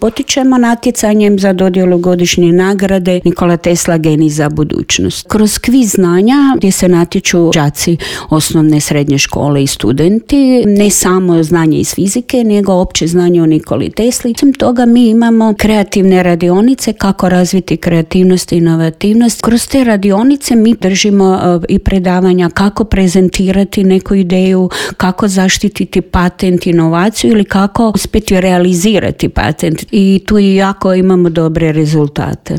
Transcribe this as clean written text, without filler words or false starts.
Potičemo natjecanjem za dodjelu godišnje nagrade Nikola Tesla geni za budućnost. Kroz kviz znanja gdje se natječu đaci osnovne, srednje škole i studenti, ne samo znanje iz fizike, nego opće znanje o Nikoli Tesli. Osim toga mi imamo kreativne radionice kako razviti kreativnost i inovativnost. Kroz te radionice mi držimo i predavanja kako prezentirati neku ideju, kako zaštititi patent, inovaciju ili kako uspjeti realizirati patent. I tu jako imamo dobre rezultate.